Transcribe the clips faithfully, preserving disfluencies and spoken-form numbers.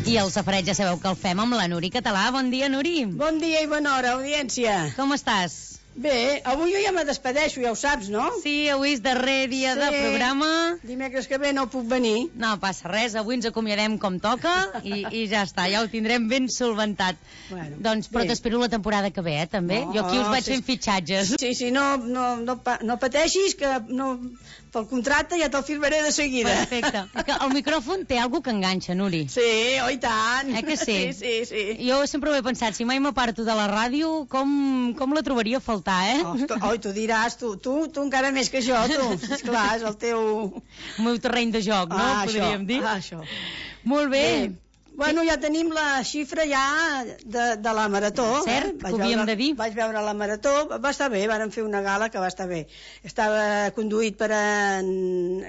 I el safareig ja sabeu que el fem amb la Nuri Català. Bon dia, Nuri. Bon dia i bona hora, audiència. Com estàs? Bé, avui jo ja me despedeixo, ja ho saps, no? Sí, avui és darrer dia Sí. de programa. Dimecres que ve no puc venir. No passa res, avui ens acomiadem com toca i, i ja està, ja ho tindrem ben solventat. Bueno, doncs, però bé. t'espero la temporada que ve, eh, també. No, jo aquí us vaig sí, fent fitxatges. Sí, sí, no, no, no, pa- no pateixis, que no, pel contracte ja te'l firmaré de seguida. Perfecte. És que el micròfon té alguna que enganxa, Nuri. Sí, oh, i tant. Eh que sí? Sí, sí, sí. Jo sempre ho he pensat, si mai m'aparto de la ràdio, com, com la trobaria a faltar, eh? Oh, tu, oh, tu diràs, tu, tu, tu encara més que jo, tu. Esclar, és el teu... El meu terreny de joc, no? Ah, Podríem això, dir. ah, això. Molt bé. Bé. Bueno, ja tenim la xifra ja de, de la marató. Cert, eh? que ho havíem de dir. Vaig veure la marató, va estar bé, vàrem fer una gala que va estar bé. Estava conduït per en,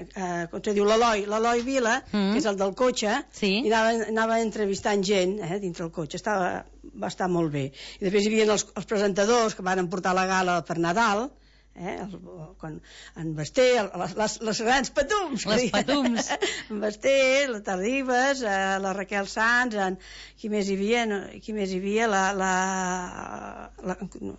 eh, com se diu, l'Eloi, l'Eloi Vila, Mm. que és el del cotxe, Sí. i anava, anava entrevistant gent eh, dintre el cotxe. Estava, va estar molt bé. I després hi havia els, els presentadors que van portar la gala per Nadal, eh, el, quan, en Basté, el, les, les, les grans patums, que Les diuen. patums. En Basté, la Terribas, eh, la Raquel Sanz, en, qui més hi havia? No, qui més hi havia? La, la, la, no,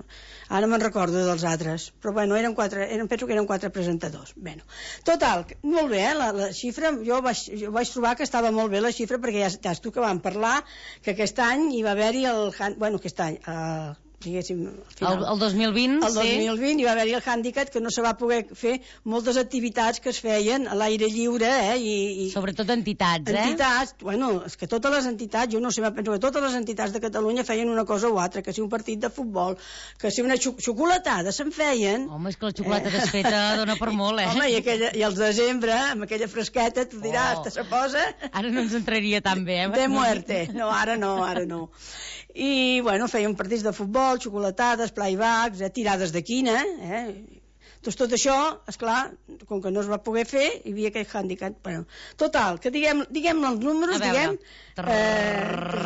ara no me'n recordo dels altres, però bueno, eren quatre, eren, penso que eren quatre presentadors. Bueno, total, molt bé, eh, la, la xifra, jo vaig, jo vaig trobar que estava molt bé la xifra, perquè ja saps tu que vam parlar que aquest any hi va haver-hi el, bueno, aquest any, eh, diguéssim, al final, El, el dos mil vint, el dos sí. mil vint hi va haver-hi el hàndicap que no se va poder fer moltes activitats que es feien a l'aire lliure, eh? I, i Sobretot entitats, eh? entitats, bueno, és que totes les entitats, jo no sé, penso que totes les entitats de Catalunya feien una cosa o altra, que si un partit de futbol, que si una xo- xocolatada se'n feien. Home, és que la xocolata desfeta dona per molt, eh? Home, i, aquella, i els desembre, amb aquella fresqueta, tu diràs, Oh. te se posa... Ara no ens entraria tan bé, eh? De muerte. No, ara no, ara no. I, bueno, feien partits de futbol, xocolatades, playbacks, eh, tirades de quina, eh? Doncs tot això, esclar, com que no es va poder fer, hi havia aquest hàndicap. Bueno, total, que diguem, diguem els números, A veure. diguem...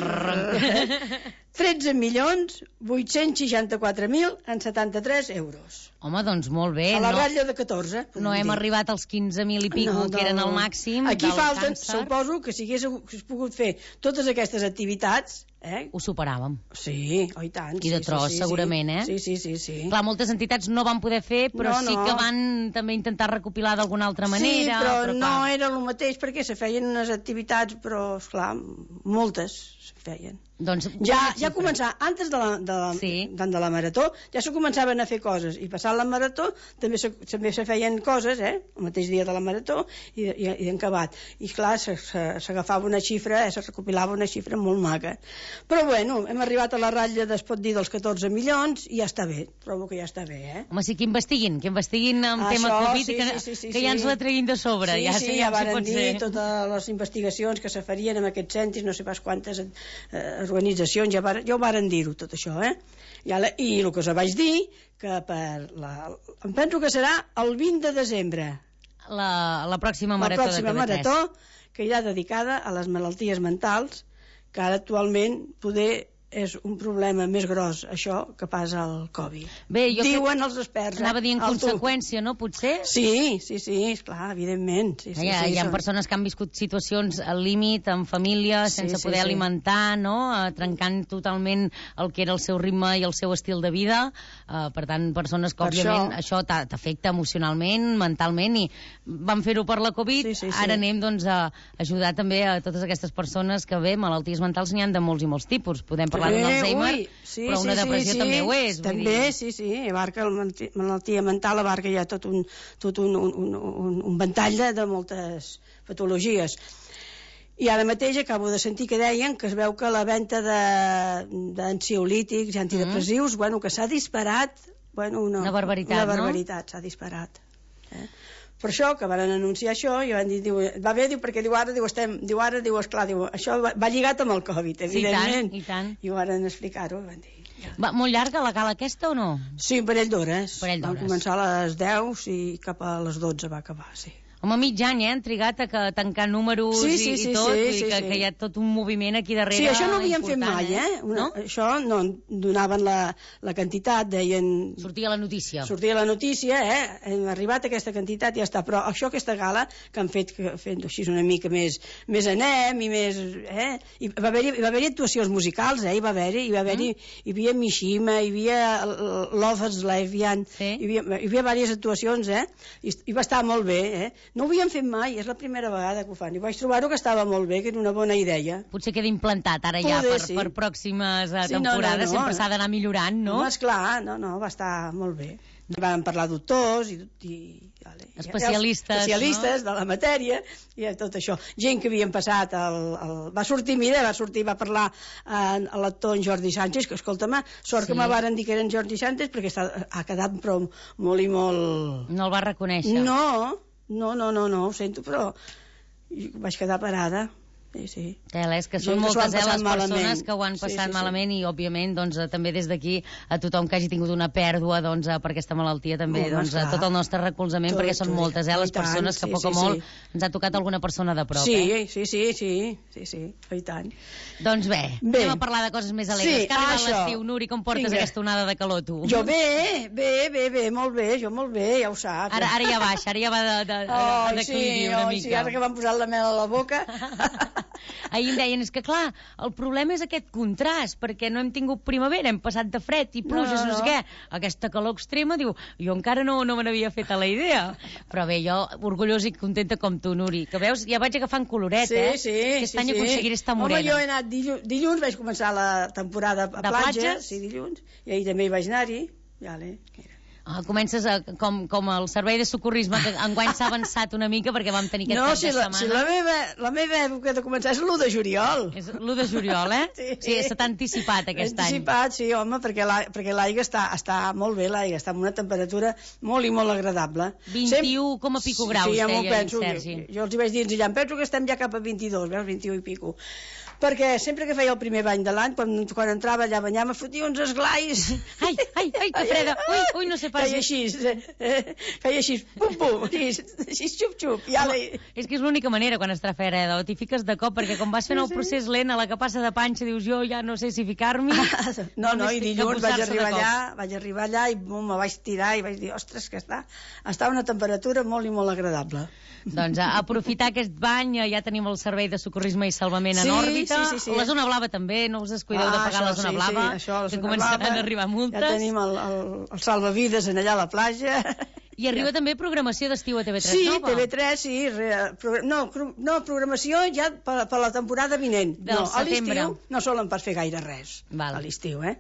Eh, tretze milions vuit-cents seixanta-quatre mil en setanta-tres euros. Home, doncs molt bé. A la no, ratlla de catorze. podem no hem dir. arribat als quinze mil i pico, No, no. que eren el màxim Aquí del falten, càncer. suposo que si hagués, si hagués pogut fer totes aquestes activitats, eh? Ho superàvem. Sí, oh, i tant. I de sí, tros, sí, sí, segurament, eh? Sí, sí, sí, sí. Clar, moltes entitats no van poder fer, però No, sí no. que van també intentar recopilar d'alguna altra manera. Sí, però, però no clar. era el mateix perquè se feien unes activitats, però, esclar, moltes se feien. Doncs, Ja, bona ja xifra. començar, antes de la, de la, Sí. de la marató, ja se començaven a fer coses, i passant la marató també se, també se feien coses, eh? El mateix dia de la marató i, i, i encabat. I clar, se- se- s'agafava una xifra, eh? Se recopilava una xifra molt maca. Però bueno, hem arribat a la ratlla, es pot dir, dels catorze milions, i ja està bé, trobo que ja està bé, eh? Home, sí que investiguin, que investiguin en tema Això, Covid sí, i que, sí, sí, sí, que ja ens sí. la treguin de sobre. Sí, ja sí, sabíem ja si varen pot dir ser. totes les investigacions que se farien amb aquests centres, no sé pas quantes eh, organitzacions, ja, var, ja ho varen dir-ho tot això, eh? I, la, I el que us vaig dir, que per la, em penso que serà el vint de desembre, La, la pròxima la marató pròxima de T V tres. marató, que irà dedicada a les malalties mentals, que ara actualment poder és un problema més gros, això, que pas al Covid. Bé, jo Diuen els experts. Anava a dir en el tu. conseqüència, no? Potser? Sí, sí, sí, esclar, evidentment. Sí, sí, hi, ha, sí, hi ha són- persones que han viscut situacions al límit, amb família, Sí, sense sí, poder sí. alimentar, no? Eh, trencant totalment el que era el seu ritme i el seu estil de vida. Eh, per tant, persones que, Per òbviament, això- això t'a- t'afecta emocionalment, mentalment, i van fer-ho per la Covid. Sí, sí, sí. Ara anem, doncs, a ajudar també a totes aquestes persones que, bé, malalties mentals n'hi han de molts i molts tipus. Podem parlar d'un Eh, Alzheimer, ui, sí, però una sí, depressió sí, també sí. ho és. vull També, dir. sí, sí, abarca la malaltia- malaltia mental, abarca ja tot un, tot un, un, un, un, un ventall de, de moltes patologies. I ara mateix acabo de sentir que deien que es veu que la venda d'ansiolítics i antidepressius, mm. bueno, que s'ha disparat, bueno, una, Una barbaritat, una no? barbaritat, s'ha disparat. Eh? Per això, que van anunciar això, i van dir, diu, va bé, diu, perquè diu, ara, diu, estem, diu, ara, diu, esclar, diu, això va, va lligat amb el Covid, Sí, i tant, evidentment. i tant. I ho van explicar-ho, van dir. Ja. Va, molt llarga la gala aquesta o no? Sí, un parell d'hores. Parell Vam d'hores. començar a les deu i cap a les dotze va acabar, sí. Home, mig any, eh? Han trigat a, que, a tancar números sí, sí, i, sí, i tot, sí, vull dir sí, que, sí. que hi ha tot un moviment aquí darrere. Sí, això no ho havíem fet mai, eh? eh? Una, No? Això no, donaven la, la quantitat, deien... Sortia la notícia. Sortia la notícia, eh? Hem arribat a aquesta quantitat i ja està. Però això, aquesta gala, que han fet, que fent així una mica més, més anem i més... Eh? I va haver-hi va haver actuacions musicals, eh? Hi va haver-hi, hi va haver-hi, mm. hi havia Mishima, hi havia Lovers Lesbian, sí. hi havia, hi havia diverses actuacions, eh? I, i va estar molt bé, eh? No ho havíem fet mai, és la primera vegada que ho fan. I vaig trobar-ho que estava molt bé, que era una bona idea. Potser queda implantat ara ja Poder, per, sí. per pròximes sí, temporades, no, no, no. sempre s'ha d'anar millorant, no? No, esclar, no, no, va estar molt bé. Vam parlar doctors i, i vale, especialistes, especialistes no? de la matèria i tot això. Gent que havien passat el, el... va sortir, mira, va sortir, va parlar eh, l'actor en Jordi Sánchez, que escolta'm, sort sí. que me varen dir que era en Jordi Sánchez perquè està, ha quedat però molt i molt... No el va reconèixer? No, no, no, no, no ho sento, però vaig quedar parada. Sí, sí. Tela, és que són Gent moltes que eh, les malament. persones que ho han passat sí, sí, malament sí. I, òbviament, doncs, també des d'aquí a tothom que hagi tingut una pèrdua doncs, per aquesta malaltia, també oh, doncs, tot el nostre recolzament, tot, perquè són moltes eh, les persones que, a poc o molt, sí. ens ha tocat alguna persona de prop. Sí, eh? sí, sí, sí, sí, sí, i tant. Doncs bé, bé, anem a parlar de coses més alegres. Sí, que arriba l'estiu, Nuri, com portes Vinga. Aquesta onada de calor, tu? Jo bé, bé, bé, bé, molt bé, jo molt bé, ja ho saps. Ara, ara ja baixa, ara ja va de, de, oh, de declivi sí, una oh, mica. Sí, ara que m'han posat la mel a la boca... Ahir em deien, és que clar, el problema és aquest contrast, perquè no hem tingut primavera, hem passat de fred i pluges, no, no, no sé què, aquesta calor extrema, diu, jo encara no, no me n'havia fet a la idea. Però bé, jo orgullosa i contenta com tu, Nuri, que veus, ja vaig agafant coloret, sí, eh? Sí, Aquest sí, any sí. aconseguiré estar morena. Home, jo he anat dilluns, dilluns vaig començar la temporada a de platja, platges? Sí, dilluns, i ahir també hi vaig anar-hi, vale, mira. Ah, comences a, com, com el servei de socorrisme, que enguany s'ha avançat una mica perquè vam tenir aquest no, cap si de la, setmana. Si la meva, la meva època de començar és l'u de juliol. És l'u de juliol, eh? Sí, sí se t'ha anticipat aquest anticipat, any. Anticipat, sí, home, perquè l'aigua està, està molt bé, l'aigua està amb una temperatura molt i molt agradable. vint-i-u coma pico graus, sí, ja deia penso, Sergi. Jo, jo els hi vaig dir, ja em penso que estem ja cap a vint-i-dos, veus, vint-i-u i pico. Perquè sempre que feia el primer bany de l'any, quan, quan entrava allà a banyar, me fotia uns esglais. Ai, ai, ai, que freda. Ui, ui, no sé pas. Feia així, eh, feia així, pum, pum, així, així xup, xup. Ja no, és que és l'única manera quan està freda, o t'hi fiques de cop, perquè com vas fent el procés lent, a la que passa de panxa, dius, jo ja no sé si ficar-m'hi. No, no, i dilluns vaig arribar allà, vaig arribar allà i bum, me vaig tirar i vaig dir, ostres, que està, està a una temperatura molt i molt agradable. Doncs a aprofitar aquest bany, ja tenim el servei de socorrisme i salvament sí, en òrbita. Sí, sí, sí. La zona blava també, no us descuideu ah, de pagar la zona sí, blava, sí, això, la que zona començaran blava, a arribar multes. Ja tenim el, el, el salvavides en allà a la platja. I arriba ja. També programació d'estiu a T V tres sí, nova. Sí, T V tres, sí. Re, pro, no, no, programació ja per, per la temporada vinent. Del no, setembre. A l'estiu no solen pas fer gaire res. Val. A l'estiu, eh?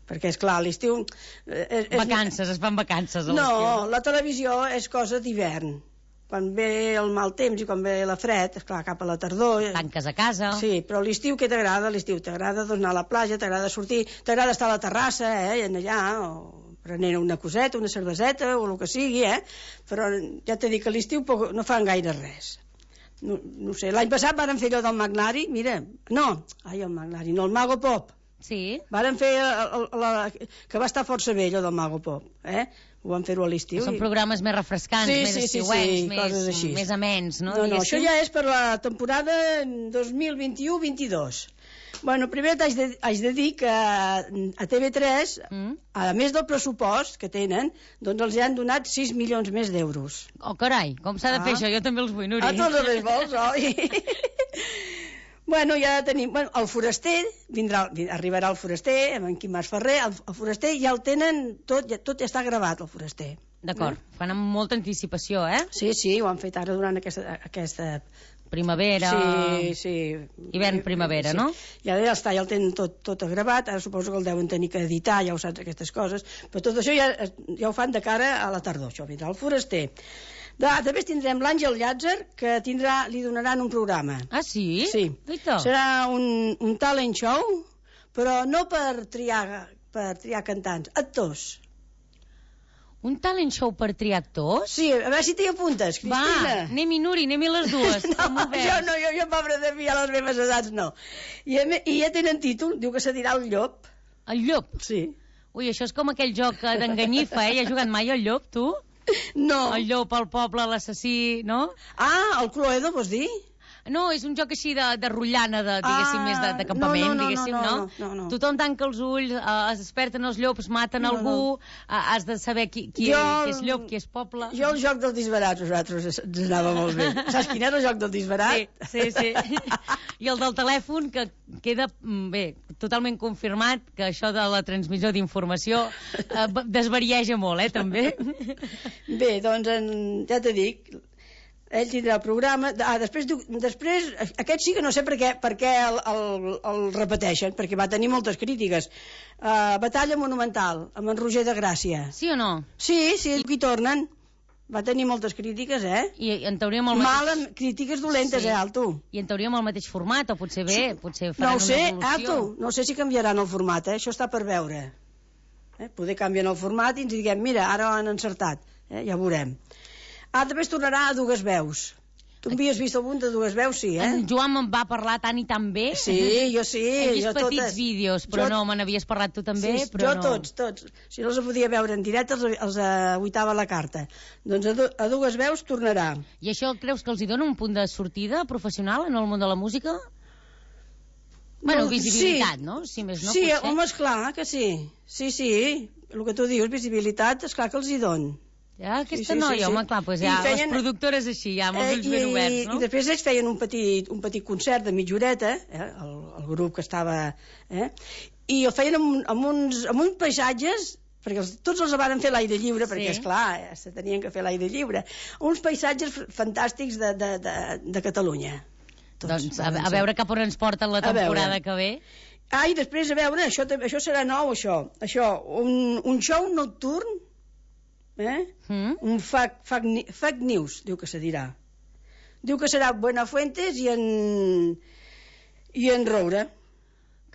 Perquè, és clar, a l'estiu... Eh, vacances, es fan vacances a l'estiu. No, la televisió és cosa d'hivern. Quan ve el mal temps i quan ve la fred, esclar, cap a la tardor... Tanques a casa. Sí, però l'estiu què t'agrada? L'estiu t'agrada anar a la platja, t'agrada sortir, t'agrada estar a la terrassa, eh, en allà, o prenent una coseta, una cerveseta, o el que sigui, eh? Però ja t'he dit que a l'estiu no fan gaire res. No, no sé, l'any passat varen fer allò del Magnari, mira, no, ai, el Magnari, no, el Mago Pop. Sí. Varen fer, el, el, la, que va estar força bé allò del Mago Pop, eh? Ho van fer-ho a l'estiu. Són programes més refrescants, sí, més sí, estiuencs, sí, sí, més, més amens, no? No, no, això ja és per la temporada dos mil vint-i-u vint-i-dos. Bueno, primer t'haig de, haig de dir que a T V tres, mm. a més del pressupost que tenen, doncs els han donat sis milions més d'euros. Oh, carai, com s'ha de fer ah. això? Jo també els vull, Nuri. Ah, tots els vols, oi? Bueno, ja tenim... Bueno, el foraster, vindrà, arribarà el foraster, amb en Quim Mas Ferrer, el, el foraster ja el tenen, tot ja, tot ja està gravat, el foraster. D'acord, eh? Fan amb molta anticipació, eh? Sí, sí, ho han fet ara durant aquesta... aquesta... primavera... Sí, sí. Hivern-primavera, sí. No? Ja, ja està, ja el tenen tot, tot gravat, ara suposo que el deuen tenir que editar, ja ho saps, aquestes coses, però tot això ja, ja ho fan de cara a la tardor, això, vindrà el foraster. De, també tindrem l'Àngel Llàtzer, que tindrà, li donaran un programa. Ah, sí? Sí. Dita. Serà un, un talent show, però no per triar, per triar cantants, actors. Un talent show per triar actors? Sí, a veure si t'hi apuntes, Cristina. Va, anem-hi, Nuri, anem-hi les dues. No, jo no, jo, jo pobre de mi, a les meves edats, no. I, I ja tenen títol, diu que se dirà el llop. El llop? Sí. Ui, això és com aquell joc d'enganyifa, eh? Hi has jugat mai al llop, tu? No. El llop, el poble, l'assassí, no? Ah, el Cluedo, vols dir? No, és un joc així de, de rotllana, de, diguéssim, Ah, més de, de campament, no, no, no, diguéssim, no, no? no, no, no. Tothom tanca els ulls, eh, es desperten els llops, maten No, algú, no. eh, has de saber qui, qui, Jo- qui és llop, qui és poble... Jo el joc dels disbarats, nosaltres, ens anava molt bé. Saps quin era el joc del disbarat? Sí, sí, sí. I el del telèfon, que queda, mm, bé, totalment confirmat que això de la transmissió d'informació eh, desvarieja molt, eh, també. Bé, doncs, en, ja t'he dit, ell tindrà el programa. Ah, després, diu- després aquest sí que no sé per què, per què el, el, el repeteixen, perquè va tenir moltes crítiques. Uh, Batalla Monumental, amb en Roger de Gràcia. Sí o no? Sí, sí, aquí tornen. Va tenir moltes crítiques, eh? I en teoria amb el mateix... Males, crítiques dolentes, Sí. eh, Alto? I en teoria amb el mateix format, o potser bé, potser No faran ho sé, una evolució. Alto, no sé si canviaran el format, eh? Això està per veure. Eh? Poder canvien el format i ens diguem, mira, ara han encertat, eh? Ja ho veurem. Ah, també es tornarà a dues veus. Tu havies vist algun de dues veus, sí, eh? En Joan me'n va parlar tant i tan bé. Sí, jo sí. He vist jo petits totes. vídeos, però Jo- no, me n'havies parlat tu també, Sí, però jo no. tots, tots. Si no els podia veure en directe, els, els aguitava la carta. Doncs a, du a dues veus tornarà. I això creus que els hi dona un punt de sortida professional en el món de la música? Bueno, No, visibilitat, sí. no? Si més no, Sí, potser. home, esclar que sí. Sí, sí, el que tu dius, visibilitat, esclar que els hi don. Ja, aquesta Sí, sí, noia, sí, sí. home, clar, doncs I ja, feien- les productores així, ja, amb els ulls i, ben oberts, no? I després ells feien un petit, un petit concert de mitja horeta, eh, el, el grup que estava... Eh, i el feien amb, amb, uns, amb uns paisatges, perquè els, tots els van fer a l'aire lliure, Sí. perquè, esclar, eh, se tenien que fer a l'aire lliure. Uns paisatges f- fantàstics de, de, de, de Catalunya. Tots Doncs a, varen a ser. veure cap on ens porten la A veure. temporada que ve. Ah, i després, a veure, això, també- això serà nou, això. Això, un, un show nocturn, eh? Mm? Un fake, fake, ni- fake news, diu que se dirà. Diu que serà Buenafuentes i en, i en Roure.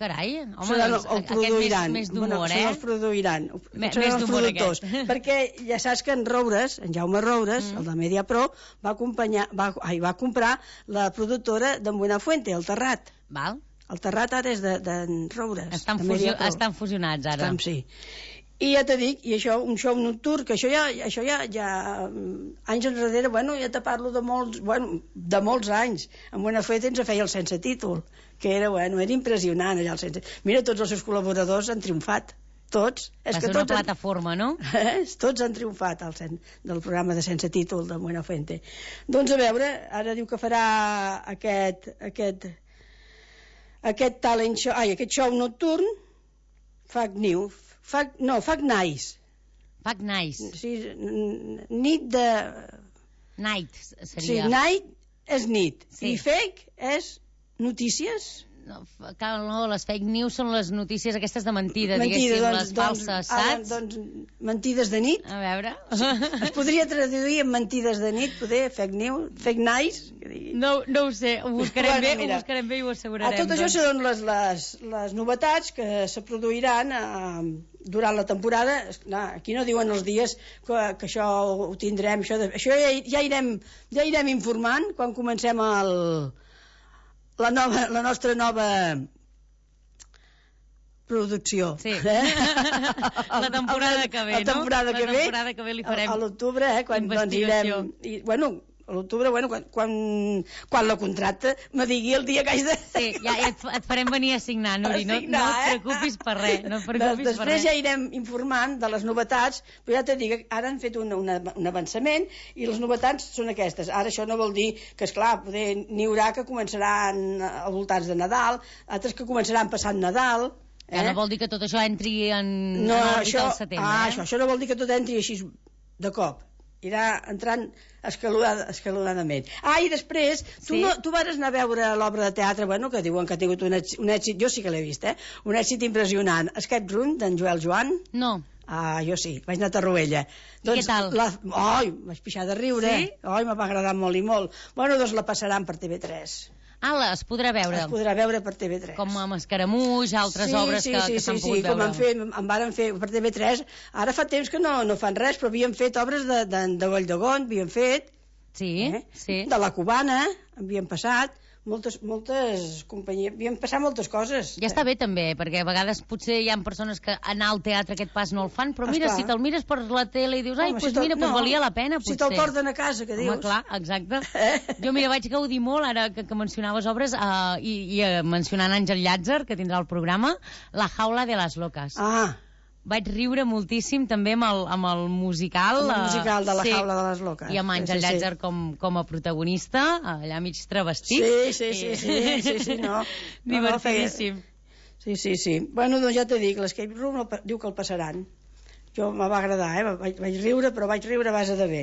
Carai, home, Seran el, doncs, el aquest produiran. més, més d'humor, bueno, eh? Són els produiran. Me- Seran més els d'humor, productors. aquest. Perquè ja saps que en Roures, en Jaume Roures, mm. el de Mediapro, va, acompanyar, va, ai, va comprar la productora d'en Buenafuente, el Terrat. Val? El Terrat ara és d'en de, Roures. Estan, de fusio Mediapro. estan fusionats ara. Estan, sí. I ja t'he dit, i això, un show nocturn, que això ja, això ja, ja anys enrere, bueno, ja te parlo de molts, bueno, de molts anys. En Buenafuente ens feia el sense títol, que era, bueno, era impressionant allà el sense... Mira, tots els seus col·laboradors han triomfat, tots. Va ser una plataforma, no? Eh? Tots han triomfat al sen... del programa de sense títol de Buenafuente. Doncs a veure, ara diu que farà aquest, aquest, aquest talent show, ai, aquest show nocturn, Fake News, Fake, no, Fake Nice. Fuck nice. Sí, n- nit de... Night Sí, seria. night és nit. Sí. I fake és notícies. No, f- cal, no, les fake news són les notícies aquestes de mentida, Mentida, diguéssim, doncs, les doncs, falses, ara, saps? doncs, mentides de nit. A veure... Es podria traduir en mentides de nit, poder, fake news, fake nice. Que digui. No, no ho sé, ho buscarem Bueno, bé, mira. ho buscarem bé i ho A assegurarem. tot això doncs. són les, les, les novetats que se produiran eh, durant la temporada. Esclar, aquí no diuen els dies que, que això ho tindrem, això, de, això ja, ja, irem, ja irem informant quan comencem el, la, nova, la nostra nova producció. Sí. Eh? La temporada que ve, la temporada no? que La ve, temporada que ve li farem a, a l'octubre, eh, quan doncs, investigació. irem... I, bueno, a l'octubre, bueno, quan, quan, quan la contracta me digui el dia que hagi de... Sí, ja et, et farem venir a signar, Nuri, no, signar, no et eh? preocupis per res, no et Des, preocupis per després res. ja irem informant de les novetats, però ja t'he dit que ara han fet un, una, un avançament i les novetats són aquestes. Ara això no vol dir que, esclar, poder n'hi haurà que començaran al voltants de Nadal, altres que començaran passant Nadal. Eh? Ja no vol dir que tot això entri en, no, en òrbita això, al setembre, ah, eh? això, això no vol dir que tot entri així de cop. Irà entrant escalonada, escalonadament. Ah, i després, tu, Sí. no, tu vas anar a veure l'obra de teatre, bueno, que diuen que ha tingut un èxit, un èxit, jo sí que l'he vist, eh? Un èxit impressionant. Escape Room, d'en Joel Joan. No, Ah, jo sí, vaig anar a Tarruella. I què tal? La... Ai, vaig pixar de riure. Sí? Ai, me va agradar molt i molt. Bueno, doncs la passaran per T V tres. ala, es podrà veure. Es podrà veure per T V tres. Com amb Escaramuix, altres sí, obres sí, que, sí, que s'han sí, pogut sí, com veure. han fet, en varen fer per T V tres. Ara fa temps que no, no fan res, però havien fet obres de, de, de Valldegon, havien fet, Sí, eh? sí. de la Cubana, havien passat. moltes, moltes companyies, havien passat moltes coses. Ja està bé també, perquè a vegades potser hi ha persones que anar al teatre aquest pas no el fan, però mira, Esclar. si te'l mires per la tele i dius, ai, Home, doncs si te'l- mira, pues no, valia la pena, Si potser. te'l porten a casa, que dius. Home, clar, exacte. Eh? Jo, mira, vaig gaudir molt, ara que, que mencionaves obres, uh, i, i uh, mencionant Àngel Llàtzer, que tindrà el programa, La jaula de les loques. Ah, Vaig riure moltíssim també amb el, amb el musical. el eh, musical de La sí, jaula de les loques. I amb Àngel Sí, sí, sí. Llàtzer com, com a protagonista, allà mig travestit. Sí, sí, sí, sí, sí, sí, no. No, no, feia- Divertidíssim. Sí, sí, sí. Bueno, doncs ja t'he dit, l'Escape Room el, pa- diu que el passaran. Jo me va agradar, eh? Vaig, vaig riure, però vaig riure a base de bé.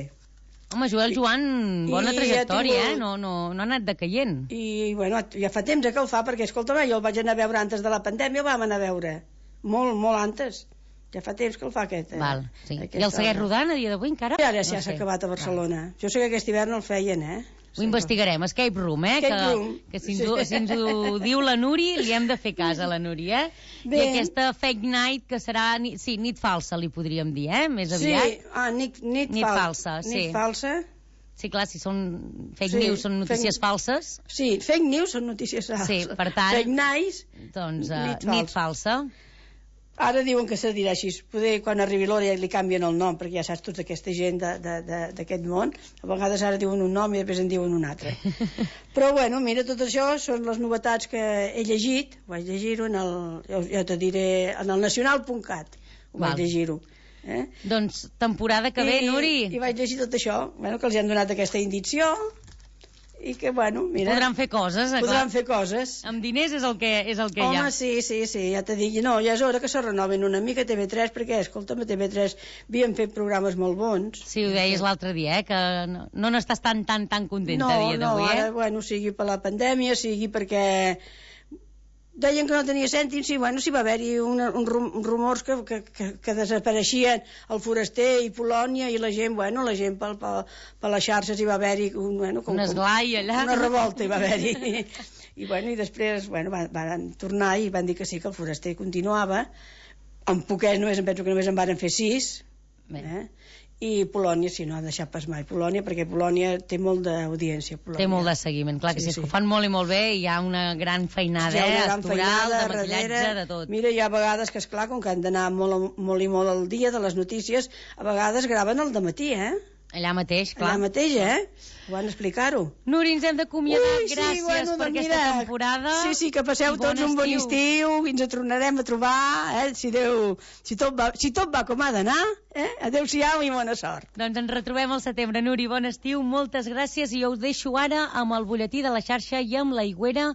Home, Joel Joan, bona I ha trajectòria, tingut- eh? No, no, no ha anat decaient. I, bueno, ja fa temps eh, que el fa, perquè, escolta'm, jo el vaig anar a veure antes de la pandèmia, el vam anar a veure. Molt, molt antes. Ja fa temps que el fa aquest. Eh? Val, sí. Aquesta I el segueix obra. rodant a dia d'avui encara? I ara ja No s'ha sé. acabat a Barcelona. Jo sé que aquest hivern el feien, eh? Ho investigarem. Escape Room, eh? Escape que, Room. que si, ens, ho- si ens ho diu la Nuri, li hem de fer cas a la Nuri, eh? Bé. I aquesta fake night, que serà... ni- Sí, nit falsa, li podríem dir, eh? Més Sí, aviat. ah, nit, nit, Nit fal- falsa, sí. Nit falsa. Sí, clar, si són fake Sí, news, són notícies fake- falses, Sí, fake news són notícies falses. Sí, per tant- Fake nice, doncs uh, Nit nit falsa. ara diuen que se dirà així. Poder quan arribi l'hora ja li canvien el nom, perquè ja saps tota aquesta gent de- de- de- d'aquest món. A vegades ara diuen un nom i després en diuen un altre. Però bueno, mira, tot això són les novetats que he llegit. Vaig llegir-ho en el, ja, ja te diré, en el nacional punt cat. Ho Val. vaig llegir-ho. Eh? Doncs temporada que ve, I, Nuri. I vaig llegir tot això, bueno, que els han donat aquesta indicció i que, bueno, mira... Podran fer coses, eh, podran clar. fer coses. Amb diners és el que, és el que hi ha. Home, sí, sí, sí, ja t'he dit, no, ja és hora que se renoven una mica T V tres, perquè, escolta'm, a T V tres havien fet programes molt bons. Sí, ho deies l'altre dia, eh? Que no no n'estàs tan, tan, tan contenta No, a dia no, d'avui, ara, eh? bueno, sigui per la pandèmia, sigui perquè deien que no tenia cèntims, sí, bueno, sí va haver-hi una, un rum, rumors que, que, que, que desapareixien el Foraster i Polònia i la gent, bueno, la gent per, per, per les xarxes hi va haver-hi un, bueno, com, Un esglai allà. una revolta hi va haver-hi. I, bueno, i després bueno, van, van tornar i van dir que sí, que el Foraster continuava. En poquets només, em penso que només en van fer sis. Bé. Eh? I Polònia, si no ha deixat pas mai Polònia, perquè Polònia té molt d'audiència. Polònia. Té molt de seguiment, clar que sí, Sí, sí. sí. ho fan molt i molt bé i hi ha una gran feinada, Hi ha eh? una gran Actoral, feinada de maquillatge, darrere. de tot. Mira, hi ha vegades que, esclar, com que han d'anar molt, molt i molt al dia de les notícies, a vegades graven al dematí, eh? Allà mateix, clar. Allà mateix, eh? Ho van explicar-ho. Nuri, ens hem d'acomiadar. Ui, sí, Gràcies bueno, per doncs aquesta mira, temporada. Sí, sí, que passeu I bon tots un bon estiu. estiu i ens tornarem a trobar, eh? Si, Déu, si, tot va, si tot va com ha d'anar, eh? Adéu-siau i bona sort. Doncs ens retrobem al setembre. Nuri, bon estiu, moltes gràcies i jo us deixo ara amb el butlletí de la xarxa i amb la Higuera